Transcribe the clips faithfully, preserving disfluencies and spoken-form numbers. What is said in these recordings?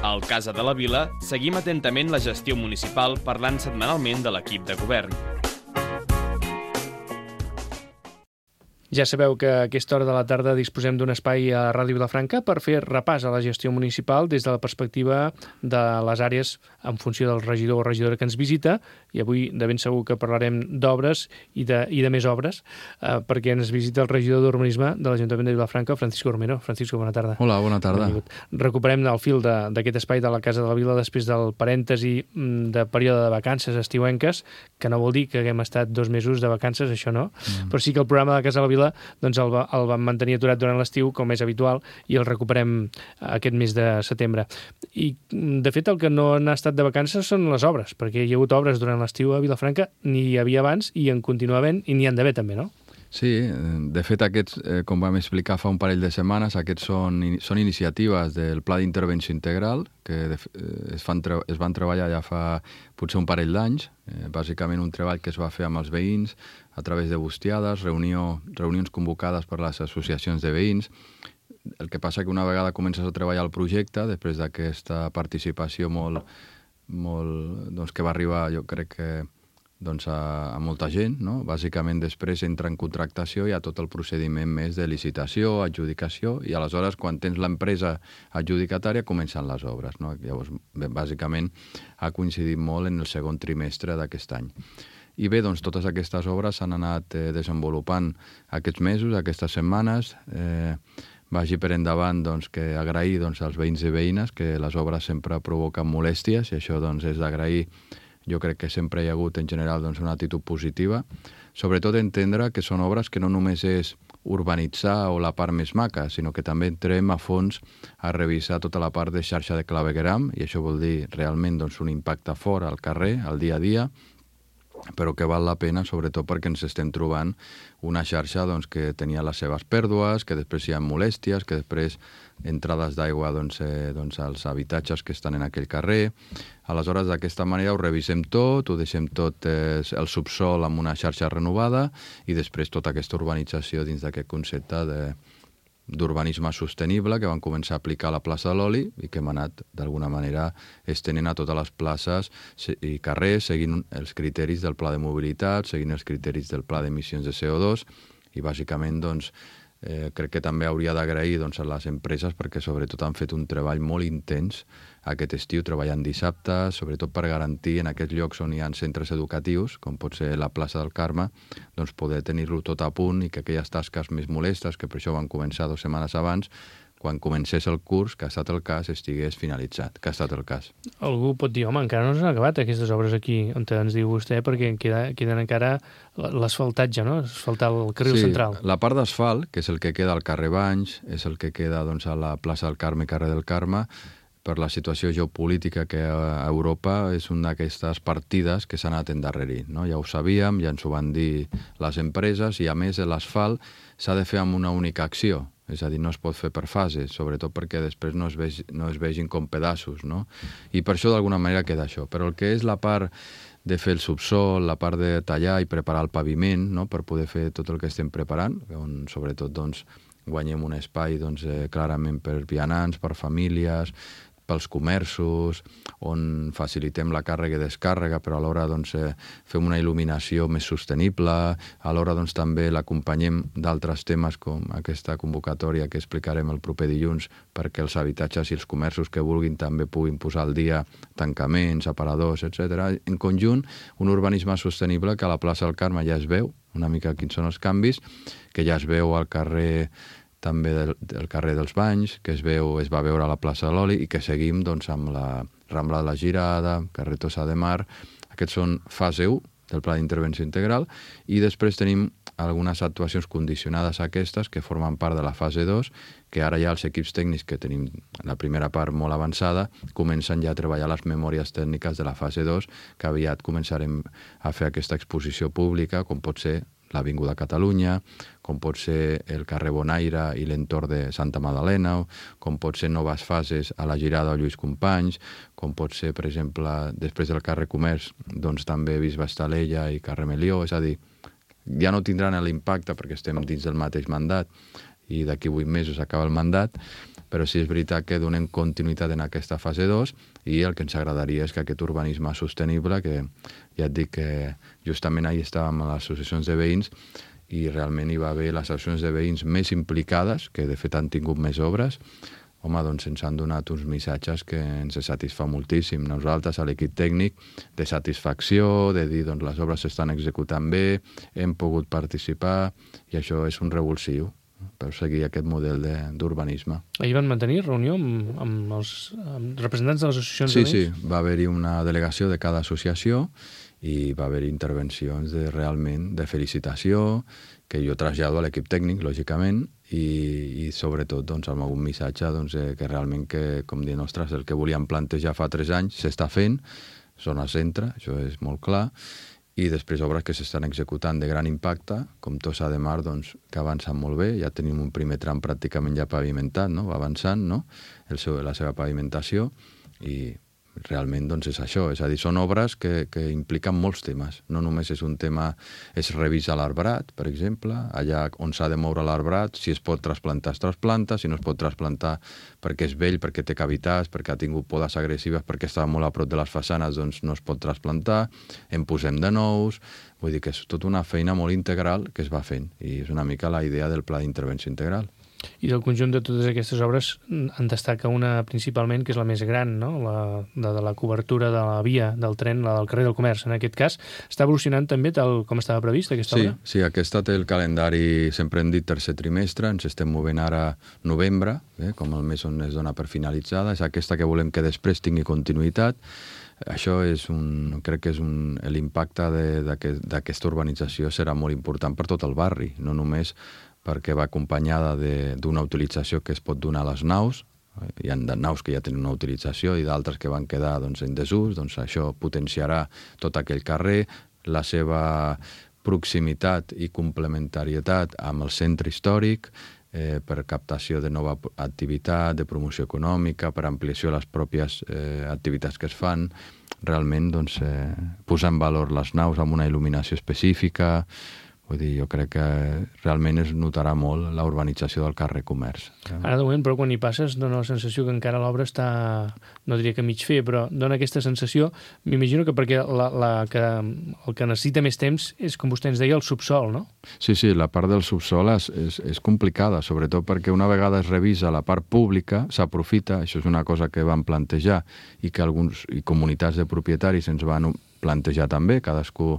Al Casa de la Vila seguim atentament la gestió municipal parlant setmanalment de l'equip de govern. Ja sabeu que a aquesta hora de la tarda disposem d'un espai a Ràdio Vilafranca per fer repàs a la gestió municipal des de la perspectiva de les àrees en funció del regidor o regidora que ens visita, i avui de ben segur que parlarem d'obres i de, i de més obres, eh, perquè ens visita el regidor d'Urbanisme de l'Ajuntament de Vilafranca, Francisco Romero. Francisco, bona tarda. Hola, bona tarda. Benvingut. Recuperem el fil d'aquest espai de la Casa de la Vila després del parèntesi de període de vacances estiuenques, que no vol dir que haguem estat dos mesos de vacances, això no, mm. però sí que el programa de la Casa de la Vila doncs el, va, el vam mantenir aturat durant l'estiu, com és habitual, i el recuperem aquest mes de setembre. I, de fet, el que no han estat de vacances són les obres, perquè hi ha hagut obres durant l'estiu a Vilafranca, n'hi havia abans i en continua havent, i n'hi han d'haver també, no? Sí, de fet, aquests, eh, com vam explicar fa un parell de setmanes, aquests són, són iniciatives del Pla d'Intervenció Integral, que de, eh, es, fan, es van treballar ja fa potser un parell d'anys, eh, bàsicament un treball que es va fer amb els veïns, a través de bustiades, reunió, reunions convocades per les associacions de veïns. El que passa que una vegada comences a treballar el projecte, després d'aquesta participació molt, molt, doncs que va arribar, jo crec que doncs a, a molta gent, no? Bàsicament després entra en contractació, hi ha tot el procediment més de licitació, adjudicació, i aleshores quan tens l'empresa adjudicatària comencen les obres, no? Llavors, bé, bàsicament ha coincidit molt en el segon trimestre d'aquest any. I bé, doncs totes aquestes obres s'han anat eh, desenvolupant aquests mesos, aquestes setmanes. Eh, vagi per endavant doncs, que agrair doncs, als veïns i veïnes, que les obres sempre provoquen molèsties, i això doncs, és d'agrair. Jo crec que sempre hi ha hagut en general doncs, una actitud positiva, sobretot entendre que són obres que no només és urbanitzar o la part més maca, sinó que també entrem a fons a revisar tota la part de xarxa de clavegueram, i això vol dir realment doncs, un impacte fort al carrer, al dia a dia, però que val la pena, sobretot perquè ens estem trobant una xarxa doncs, que tenia les seves pèrdues, que després hi ha molèsties, que després entrades d'aigua doncs, eh, doncs, als habitatges que estan en aquell carrer. Aleshores, d'aquesta manera ho revisem tot, ho deixem tot eh, el subsol amb una xarxa renovada i després tota aquesta urbanització dins d'aquest concepte de d'urbanisme sostenible que van començar a aplicar a la plaça de l'Oli i que hem anat d'alguna manera estenent a totes les places i carrers, seguint els criteris del pla de mobilitat, seguint els criteris del pla d'emissions de C O dos, i bàsicament doncs, eh, crec que també hauria d'agrair doncs, a les empreses perquè sobretot han fet un treball molt intens aquest estiu, treballant dissabtes, sobretot per garantir en aquests llocs on hi ha centres educatius, com pot ser la plaça del Carme, doncs poder tenir-lo tot a punt i que aquelles tasques més molestes, que per això van començar dues setmanes abans, quan comencés el curs, que ha estat el cas, estigués finalitzat, que ha estat el cas. Algú pot dir, home, encara no s'han acabat aquestes obres aquí, on ens diu vostè, perquè queda, queden encara l'asfaltatge, no? Asfaltar el carril sí, central. La part d'asfalt, que és el que queda al carrer Banys, és el que queda doncs, a la plaça del Carme i carrer del Carme, per la situació geopolítica que a Europa és una d'aquestes partides que s'han anat endarrerint, no? Ja ho sabíem, ja ens ho van dir les empreses, i a més l'asfalt s'ha de fer amb una única acció, és a dir, no es pot fer per fases, sobretot perquè després no es, veg, no es vegin com pedaços, no? I per això d'alguna manera queda això. Però el que és la part de fer el subsol, la part de tallar i preparar el paviment, no? Per poder fer tot el que estem preparant, on sobretot doncs, guanyem un espai doncs, eh, clarament per vianants, per famílies, pels comerços, on facilitem la càrrega i descàrrega, però alhora doncs, eh, fem una il·luminació més sostenible, alhora doncs, també l'acompanyem d'altres temes com aquesta convocatòria que explicarem el proper dilluns perquè els habitatges i els comerços que vulguin també puguin posar al dia tancaments, aparadors, etcètera. En conjunt, un urbanisme sostenible que a la plaça del Carme ja es veu, una mica quins són els canvis, que ja es veu al carrer també del, del carrer dels Banys, que es veu, es va veure a la plaça de l'Oli i que seguim doncs, amb la Rambla de la Girada, carrer Tossa de Mar. Aquests són fase u del Pla d'Intervenció Integral, i després tenim algunes actuacions condicionades a aquestes que formen part de la fase dos, que ara ja els equips tècnics que tenim la primera part molt avançada comencen ja a treballar les memòries tècniques de la fase dos, que aviat començarem a fer aquesta exposició pública, com pot ser l'Avinguda Catalunya, com pot ser el carrer Bonaire i l'entorn de Santa Madalena, com pot ser noves fases a la Girada o Lluís Companys, com pot ser, per exemple, després del carrer Comerç, doncs també Bisbe Estalella i carrer Melió, és a dir, ja no tindran l'impacte perquè estem dins del mateix mandat i d'aquí vuit mesos acaba el mandat, però sí és veritat que donem continuïtat en aquesta fase dos i el que ens agradaria és que aquest urbanisme sostenible, que ja et dic que justament ahir estàvem a les associacions de veïns i realment hi va haver les associacions de veïns més implicades, que de fet han tingut més obres, home, doncs ens han donat uns missatges que ens satisfà moltíssim. Nosaltres, a l'equip tècnic, de satisfacció, de dir, doncs, les obres s'estan executant bé, hem pogut participar, i això és un revulsiu per seguir aquest model d'urbanisme. Ahir van mantenir reunió amb, amb els amb representants de les associacions sí, de veïns? Sí, va haver-hi una delegació de cada associació i va haver-hi intervencions de, realment de felicitació, que jo trasllado a l'equip tècnic, lògicament, i, i sobretot doncs, amb algun missatge doncs, eh, que realment, que, com dient, ostres, el que volíem plantejar fa tres anys s'està fent, zona centre, això és molt clar, i després obres que s'estan executant de gran impacte, com Tossa de Mar, doncs, que avancen molt bé, ja tenim un primer tram pràcticament ja pavimentat, no? Va avançant, no? El seu, la seva pavimentació, i realment doncs, és això, és a dir, són obres que, que impliquen molts temes. No només és un tema, es revisa l'arbrat, per exemple, allà on s'ha de moure l'arbrat, si es pot trasplantar, es trasplanta, si no es pot trasplantar perquè és vell, perquè té cavitats, perquè ha tingut podes agressives, perquè estava molt a prop de les façanes, doncs no es pot trasplantar, en posem de nous, vull dir que és tota una feina molt integral que es va fent, i és una mica la idea del pla d'intervenció integral. I del conjunt de totes aquestes obres en destaca una principalment, que és la més gran, no? la, de, de la cobertura de la via del tren, la del carrer del Comerç. En aquest cas, està evolucionant també tal com estava previst aquesta sí, obra? Sí, aquesta té el calendari, sempre hem dit tercer trimestre, ens estem movent ara novembre, eh, com el mes on es dona per finalitzada, és aquesta que volem que després tingui continuïtat. Això és un, crec que és un, l'impacte d'aquesta urbanització serà molt important per tot el barri, no només perquè va acompanyada d'una utilització que es pot donar a les naus. Hi ha naus que ja tenen una utilització i d'altres que van quedar doncs, en desús, doncs això potenciarà tot aquell carrer, la seva proximitat i complementarietat amb el centre històric, eh, per captació de nova activitat, de promoció econòmica, per ampliació de les pròpies eh, activitats que es fan, realment doncs, eh, posar en valor les naus amb una il·luminació específica. Vull dir, jo crec que realment es notarà molt la urbanització del carrer Comerç. Ara, de moment, però quan hi passes, dona la sensació que encara l'obra està, no diria que mig fer, però dona aquesta sensació, m'imagino que perquè la, la, que, el que necessita més temps és, com vostè ens deia, el subsol, no? Sí, sí, la part del subsol és, és, és complicada, sobretot perquè una vegada es revisa la part pública, s'aprofita, això és una cosa que vam plantejar i que alguns i comunitats de propietaris ens van plantejar també, cadascú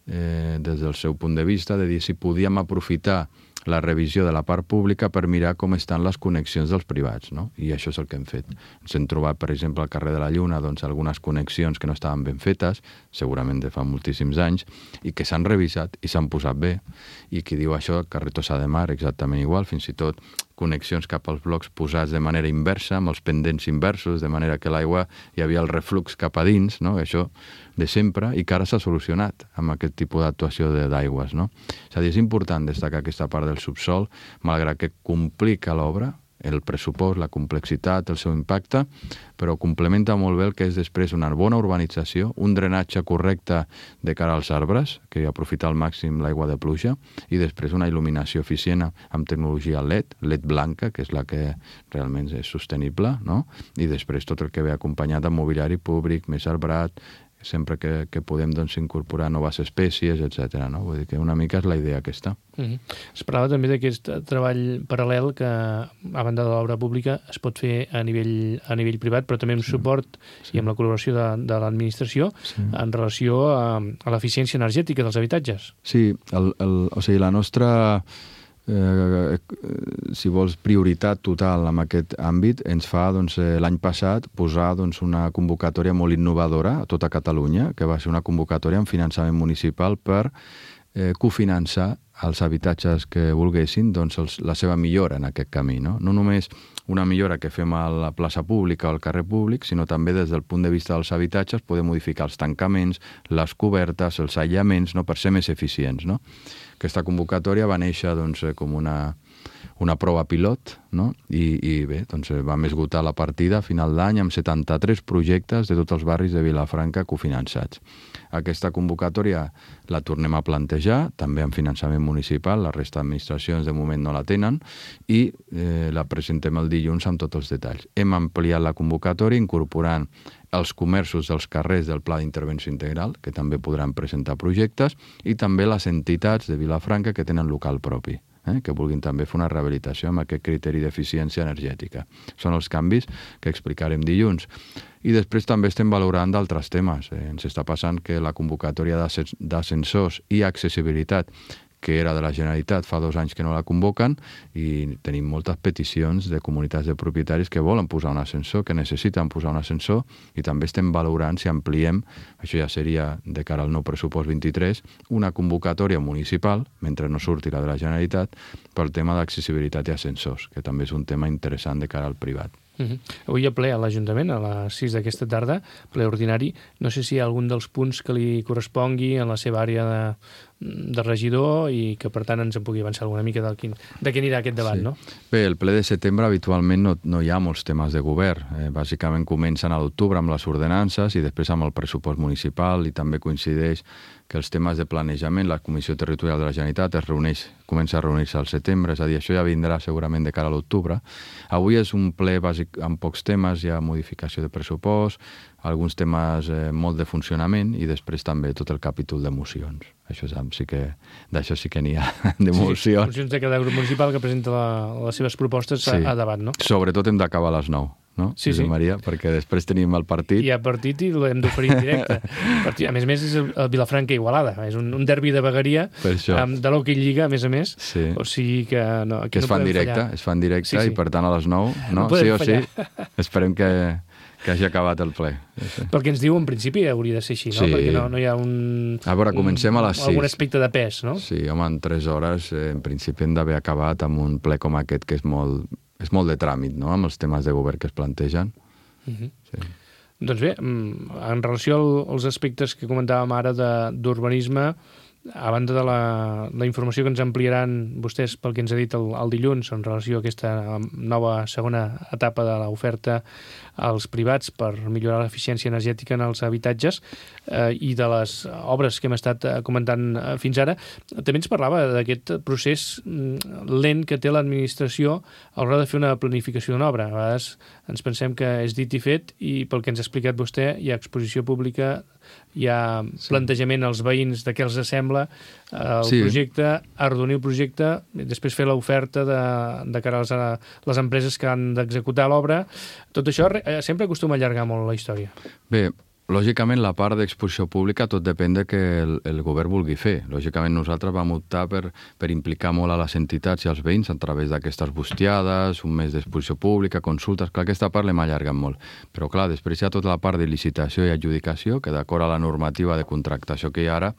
Eh, des del seu punt de vista, de dir si podíem aprofitar la revisió de la part pública per mirar com estan les connexions dels privats, no? I això és el que hem fet. Ens hem trobat, per exemple, al carrer de la Lluna, doncs, algunes connexions que no estaven ben fetes, segurament de fa moltíssims anys, i que s'han revisat i s'han posat bé. I qui diu això, carrer Tossa de Mar, exactament igual, fins i tot connexions cap als blocs posats de manera inversa, amb els pendents inversos, de manera que l'aigua hi havia el reflux cap a dins, no? Això de sempre, i que ara s'ha solucionat amb aquest tipus d'actuació d'aigües, no? És a dir, és important destacar aquesta part del subsol, malgrat que complica l'obra, el pressupost, la complexitat, el seu impacte, però complementa molt bé el que és després una bona urbanització, un drenatge correcte de cara als arbres, que aprofita al màxim l'aigua de pluja, i després una il·luminació eficient amb tecnologia L E D, L E D blanca, que és la que realment és sostenible, no? I després tot el que ve acompanyat amb mobiliari públic, més arbrat, sempre que, que podem doncs, incorporar noves espècies, etcètera. No? Vull dir que una mica és la idea aquesta. Mm-hmm. Es parlava també d'aquest treball paral·lel que, a banda de l'obra pública, es pot fer a nivell, a nivell privat, però també amb sí. suport sí. i amb la col·laboració de, de l'administració sí. en relació a, a l'eficiència energètica dels habitatges. Sí, el, el, o sigui, la nostra... Eh, si vols prioritat total en aquest àmbit ens fa doncs, eh, l'any passat posar doncs, una convocatòria molt innovadora a tota Catalunya, que va ser una convocatòria amb finançament municipal per eh, cofinançar els habitatges que volguessin doncs, els, la seva millora en aquest camí. No? no només una millora que fem a la plaça pública o al carrer públic, sinó també des del punt de vista dels habitatges poder modificar els tancaments, les cobertes, els aïllaments, no? Per ser més eficients. No? Aquesta convocatòria va néixer doncs, com una una prova pilot, no? I, i bé, doncs vam esgotar la partida a final d'any amb setanta-tres projectes de tots els barris de Vilafranca cofinançats. Aquesta convocatòria la tornem a plantejar, també amb finançament municipal, la resta d'administracions de moment no la tenen, i eh, la presentem el dilluns amb tots els detalls. Hem ampliat la convocatòria incorporant els comerços dels carrers del Pla d'Intervenció Integral, que també podran presentar projectes, i també les entitats de Vilafranca que tenen local propi, eh, que vulguin també fer una rehabilitació amb aquest criteri d'eficiència energètica. Són els canvis que explicarem dilluns. I després també estem valorant d'altres temes. Eh, ens està passant que la convocatòria d'ascensors i accessibilitat, que era de la Generalitat, fa dos anys que no la convoquen, i tenim moltes peticions de comunitats de propietaris que volen posar un ascensor, que necessiten posar un ascensor, i també estem valorant si ampliem, això ja seria de cara al nou pressupost vint-i-tres, una convocatòria municipal, mentre no surti la de la Generalitat, pel tema d'accessibilitat i ascensors, que també és un tema interessant de cara al privat. Uh-huh. Avui hi ha ple a l'Ajuntament, a les sis d'aquesta tarda, ple ordinari. No sé si hi ha algun dels punts que li correspongui en la seva àrea de, de regidor i que, per tant, ens en pugui avançar alguna mica de quin, de què anirà aquest debat, sí. No? Bé, el ple de setembre habitualment no, no hi ha molts temes de govern. Eh, bàsicament comencen a l'octubre amb les ordenances i després amb el pressupost municipal, i també coincideix que els temes de planejament, la Comissió Territorial de la Generalitat es reuneix, comença a reunir-se al setembre, és a dir, això ja vindrà segurament de cara a l'octubre. Avui és un ple bàsic amb pocs temes, hi ha modificació de pressupost, alguns temes eh, molt de funcionament, i després també tot el capítol d'emocions. Això sí que, d'això sí que n'hi ha, d'emocions. Sí, mocions de cada grup municipal que presenta la, les seves propostes sí. a, a debat, no? Sobretot hem d'acabar a les nou. No? Sí, sí. Maria, perquè després tenim el partit. Hi ha partit i l'hem d'oferir en directe. A més a més, és el Vilafranca Igualada. És un, un derbi de vegueria amb de l'Hockey Lliga, a més a més. Sí. O sigui que no, aquí que es no fan podem directe, fallar. Es fan directe, sí, sí. I per tant a les nou, no, no sí o fallar. Sí, esperem que, que hagi acabat el ple. Sí. Pel que ens diu, en principi hauria de ser així, no? Sí. Perquè no, no hi ha un... A veure, comencem un, a les sis. Algun aspecte de pes, no? Sí, home, en tres hores, eh, en principi hem d'haver acabat amb un ple com aquest, que és molt, és molt de tràmit, no?, amb els temes de govern que es plantegen. Uh-huh. Sí. Doncs bé, en relació als aspectes que comentàvem ara d'urbanisme, a banda de la, la informació que ens ampliaran vostès pel que ens ha dit el, el dilluns en relació a aquesta nova segona etapa de l'oferta als privats per millorar l'eficiència energètica en els habitatges eh, i de les obres que hem estat comentant fins ara, també ens parlava d'aquest procés lent que té l'administració a l'hora de fer una planificació d'una obra. A vegades ens pensem que és dit i fet, i pel que ens ha explicat vostè hi ha exposició pública, hi ha plantejament als veïns de què els sembla el sí. projecte, arrodonir el projecte, després fer l'oferta de, de cara a les, a les empreses que han d'executar l'obra. Tot això sempre acostuma a allargar molt la història. Bé, lògicament la part d'exposició pública tot depèn de que el, el govern vulgui fer. Lògicament nosaltres vam optar per, per implicar molt a les entitats i als veïns a través d'aquestes bustiades, un mes d'exposició pública, consultes. Clar, aquesta part l'hem allargat molt. Però clar, després hi ha tota la part de licitació i adjudicació, que d'acord a la normativa de contractació que hi ha ara,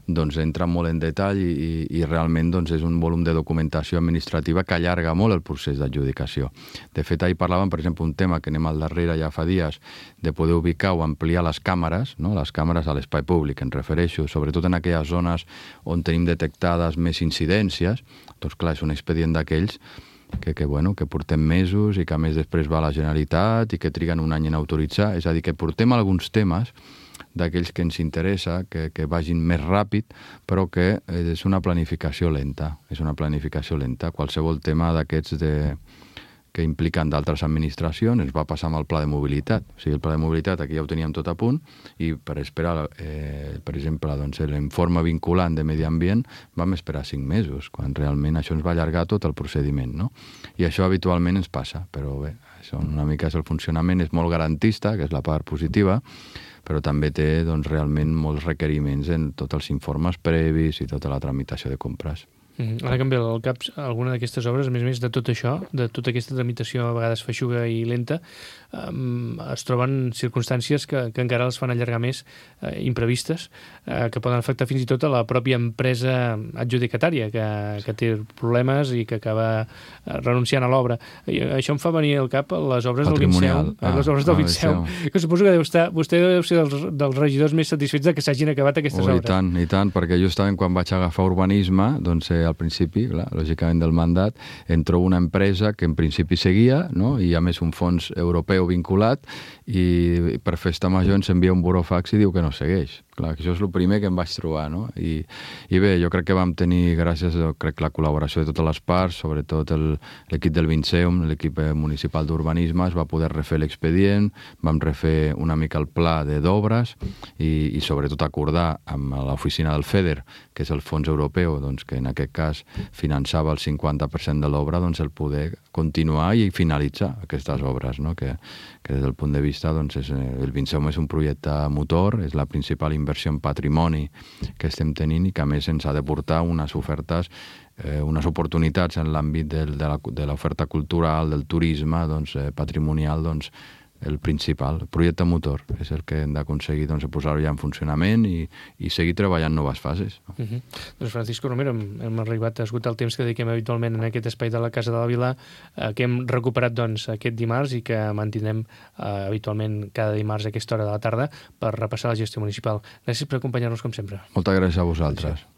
doncs entra molt en detall i, i, i realment doncs, és un volum de documentació administrativa que allarga molt el procés d'adjudicació. De fet, ahir parlàvem, per exemple, un tema que anem al darrere ja fa dies, de poder ubicar o ampliar les càmeres, no? Les càmeres a l'espai públic, em refereixo, sobretot en aquelles zones on tenim detectades més incidències. Doncs clar, és un expedient d'aquells que, que, bueno, que portem mesos i que a més després va a la Generalitat i que triguen un any en autoritzar. És a dir, que portem alguns temes d'aquells que ens interessa, que, que vagin més ràpid, però que és una planificació lenta. És una planificació lenta. Qualsevol tema d'aquests de... que impliquen d'altres administracions, ens va passar amb el pla de mobilitat. O sigui, el pla de mobilitat aquí ja ho teníem tot a punt, i per esperar, eh, per exemple, doncs, l'informe vinculant de medi ambient vam esperar cinc mesos, quan realment això ens va allargar tot el procediment, no? I això habitualment ens passa, però bé, això una mica és el funcionament, és molt garantista, que és la part positiva, però també té doncs, realment molts requeriments en tots els informes previs i tota la tramitació de compres. Mm-hmm. Ara que em ve al cap alguna d'aquestes obres, a més a més de tot això, de tota aquesta tramitació a vegades feixuga i lenta, um, es troben circumstàncies que, que encara els fan allargar més, eh, imprevistes, eh, que poden afectar fins i tot a la pròpia empresa adjudicatària, que, que té problemes i que acaba renunciant a l'obra. I això em fa venir al cap les obres del Vinceu, ah, les obres del ah, Vinceu, que suposo que deu estar, vostè deu ser dels, dels regidors més satisfets de que s'hagin acabat aquestes oh, obres. I tant, i tant, perquè justament quan vaig agafar urbanisme, doncs eh, deia al principi, clar, lògicament del mandat, entró una empresa que en principi seguia, no? I a més un fons europeu vinculat, i per festa major ens envia un burofax i diu que no segueix. Clar, això és el primer que em vaig trobar, no? I, i bé, jo crec que vam tenir, gràcies a crec, la col·laboració de totes les parts, sobretot l'equip del Vinceum, l'equip municipal d'urbanisme, es va poder refer l'expedient, vam refer una mica el pla d'obres i, i sobretot acordar amb l'oficina del FEDER, que és el fons europeu, doncs, que en aquest cas finançava el cinquanta per cent de l'obra, doncs, el poder continuar i finalitzar aquestes obres, no? que, que des del punt de vista, doncs, és, el Vinceum és un projecte motor, és la principal inversió en patrimoni que estem tenint i que a més ens ha de portar unes ofertes, eh, unes oportunitats en l'àmbit de l'oferta cultural, del turisme, doncs, eh, patrimonial, doncs, el principal, el projecte motor, és el que hem d'aconseguir doncs, posar-ho ja en funcionament i, i seguir treballant noves fases. Uh -huh. Doncs Francisco Romero, hem, hem arribat a esgotar el temps que dediquem habitualment en aquest espai de la Casa de la Vila, eh, que hem recuperat doncs, aquest dimarts i que mantindrem eh, habitualment cada dimarts a aquesta hora de la tarda per repassar la gestió municipal. Gràcies per acompanyar-nos com sempre. Moltes gràcies a vosaltres. Gràcies.